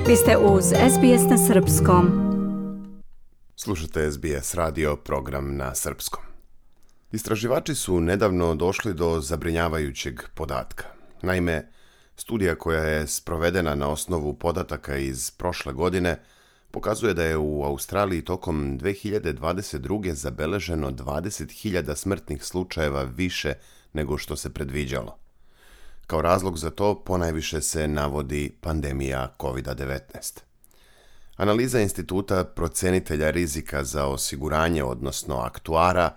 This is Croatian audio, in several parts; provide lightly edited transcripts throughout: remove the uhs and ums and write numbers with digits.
Vi ste uz SBS na srpskom. Slušate SBS radio, program na srpskom. Istraživači su nedavno došli do zabrinjavajućeg podatka. Naime, studija koja je sprovedena na osnovu podataka iz prošle godine pokazuje da je u Australiji tokom 2022. zabeleženo 20.000 smrtnih slučajeva više nego što se predviđalo. Kao razlog za to ponajviše se navodi pandemija COVID-19. Analiza Instituta procenitelja rizika za osiguranje, odnosno aktuara,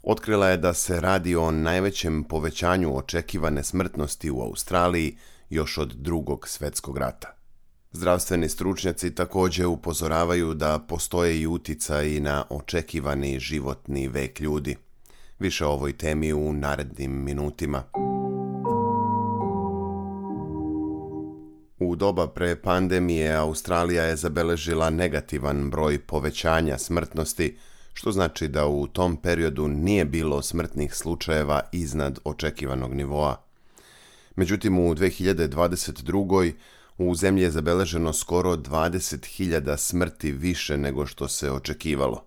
otkrila je da se radi o najvećem povećanju očekivane smrtnosti u Australiji još od Drugog svjetskog rata. Zdravstveni stručnjaci također upozoravaju da postoje i uticaji na očekivani životni vek ljudi. Više o ovoj temi u narednim minutima. U doba pre pandemije Australija je zabeležila negativan broj povećanja smrtnosti, što znači da u tom periodu nije bilo smrtnih slučajeva iznad očekivanog nivoa. Međutim, u 2022. u zemlji je zabeleženo skoro 20.000 smrti više nego što se očekivalo.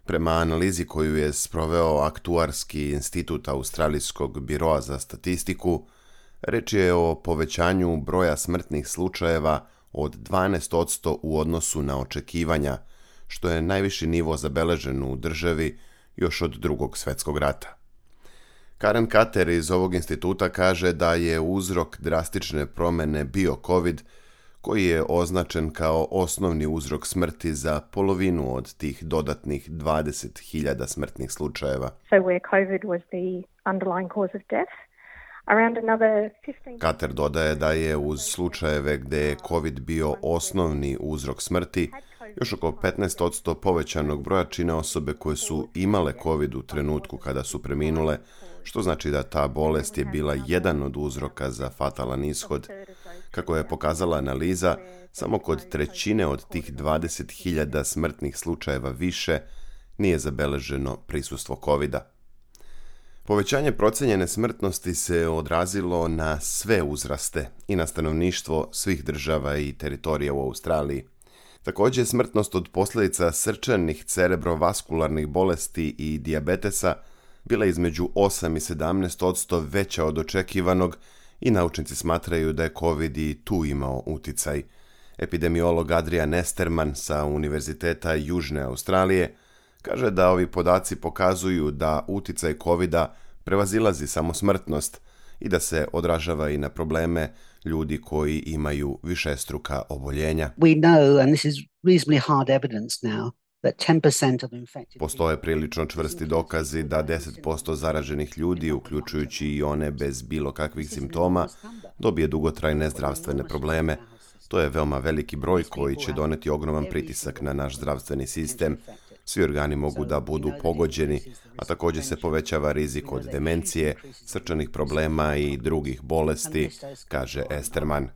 Prema analizi koju je sproveo Aktuarski institut Australijskog biroa za statistiku, reč je o povećanju broja smrtnih slučajeva od 12% u odnosu na očekivanja, što je najviši nivo zabeležen u državi još od Drugog svjetskog rata. Karen Kater iz ovog instituta kaže da je uzrok drastične promjene bio COVID, koji je označen kao osnovni uzrok smrti za polovinu od tih dodatnih 20.000 smrtnih slučajeva. So where COVID was the underlying cause of death, Kater dodaje da je uz slučajeve gdje je COVID bio osnovni uzrok smrti, još oko 15% povećanog broja čine osobe koje su imale COVID u trenutku kada su preminule, što znači da ta bolest je bila jedan od uzroka za fatalan ishod. Kako je pokazala analiza, samo kod trećine od tih 20.000 smrtnih slučajeva više nije zabeleženo prisustvo COVID-a. Povećanje procijenjene smrtnosti se odrazilo na sve uzraste i na stanovništvo svih država i teritorija u Australiji. Također, smrtnost od posljedica srčanih cerebrovaskularnih bolesti i dijabetesa bila između 8 i 17% veća od očekivanog i naučnici smatraju da je COVID i tu imao uticaj. Epidemiolog Adrian Esterman sa Univerziteta Južne Australije kaže da ovi podaci pokazuju da uticaj COVID-a prevazilazi samo smrtnost i da se odražava i na probleme ljudi koji imaju višestruka oboljenja. Postoje prilično čvrsti dokazi da 10% zaraženih ljudi, uključujući i one bez bilo kakvih simptoma, dobije dugotrajne zdravstvene probleme. To je veoma veliki broj koji će doneti ogroman pritisak na naš zdravstveni sistem. Svi organi mogu da budu pogođeni, a također se povećava rizik od demencije, srčanih problema i drugih bolesti, kaže Esterman.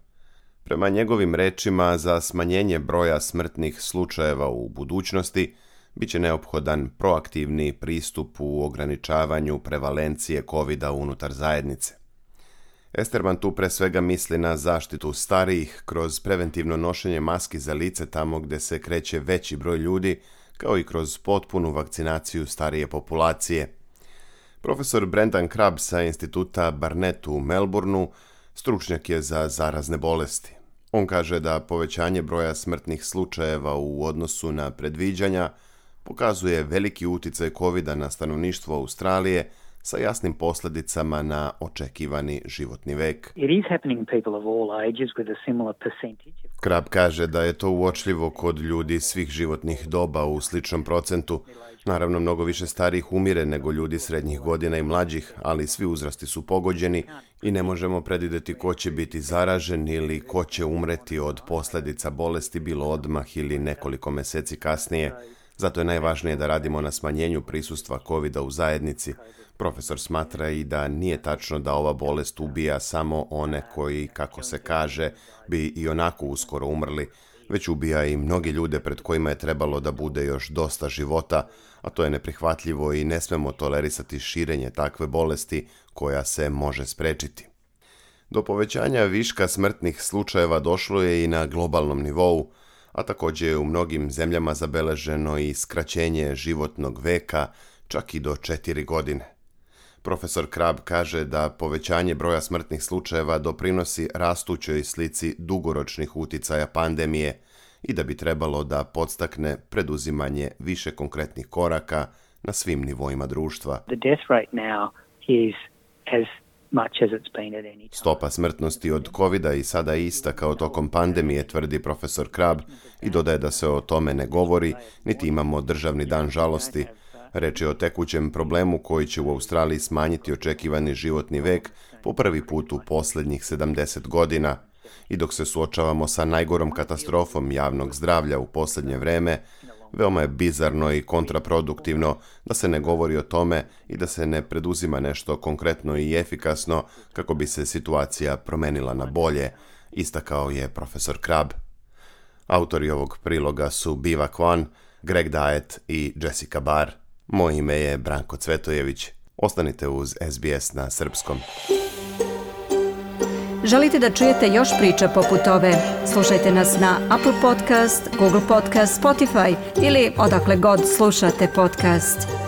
Prema njegovim rečima, za smanjenje broja smrtnih slučajeva u budućnosti bit će neophodan proaktivni pristup u ograničavanju prevalencije COVID-a unutar zajednice. Esterman tu pre svega misli na zaštitu starijih kroz preventivno nošenje maski za lice tamo gdje se kreće veći broj ljudi, kao i kroz potpunu vakcinaciju starije populacije. Profesor Brendan Crabb sa instituta Barnett u Melbourneu stručnjak je za zarazne bolesti. On kaže da povećanje broja smrtnih slučajeva u odnosu na predviđanja pokazuje veliki uticaj COVID-a na stanovništvo Australije sa jasnim posljedicama na očekivani životni vek. Crabb kaže da je to uočljivo kod ljudi svih životnih doba u sličnom procentu. Naravno, mnogo više starijih umire nego ljudi srednjih godina i mlađih, ali svi uzrasti su pogođeni i ne možemo predvidjeti ko će biti zaražen ili ko će umreti od posljedica bolesti bilo odmah ili nekoliko mjeseci kasnije. Zato je najvažnije da radimo na smanjenju prisustva COVID-a u zajednici. Profesor smatra i da nije tačno da ova bolest ubija samo one koji, kako se kaže, bi i onako uskoro umrli, već ubija i mnogi ljude pred kojima je trebalo da bude još dosta života, a to je neprihvatljivo i ne smemo tolerisati širenje takve bolesti koja se može sprečiti. Do povećanja viška smrtnih slučajeva došlo je i na globalnom nivou, a također je u mnogim zemljama zabeleženo i skraćenje životnog veka, čak i do 4 godine. Profesor Krab kaže da povećanje broja smrtnih slučajeva doprinosi rastućoj slici dugoročnih uticaja pandemije i da bi trebalo da podstakne preduzimanje više konkretnih koraka na svim nivoima društva. Stopa smrtnosti od covida i sada ista kao tokom pandemije, tvrdi profesor Krab, i dodaje da se o tome ne govori, niti imamo državni dan žalosti. Reč je o tekućem problemu koji će u Australiji smanjiti očekivani životni vek po prvi put u posljednjih 70 godina. I dok se suočavamo sa najgorom katastrofom javnog zdravlja u posljednje vreme, veoma je bizarno i kontraproduktivno da se ne govori o tome i da se ne preduzima nešto konkretno i efikasno kako bi se situacija promenila na bolje, istakao je profesor Krab. Autori ovog priloga su Biva Kwan, Greg Diet i Jessica Barr. Moje ime je Branko Cvetojević. Ostanite uz SBS na srpskom. Želite da čujete još priča poput ove? Slušajte nas na Apple Podcast, Google Podcast, Spotify ili odakle god slušate podcast.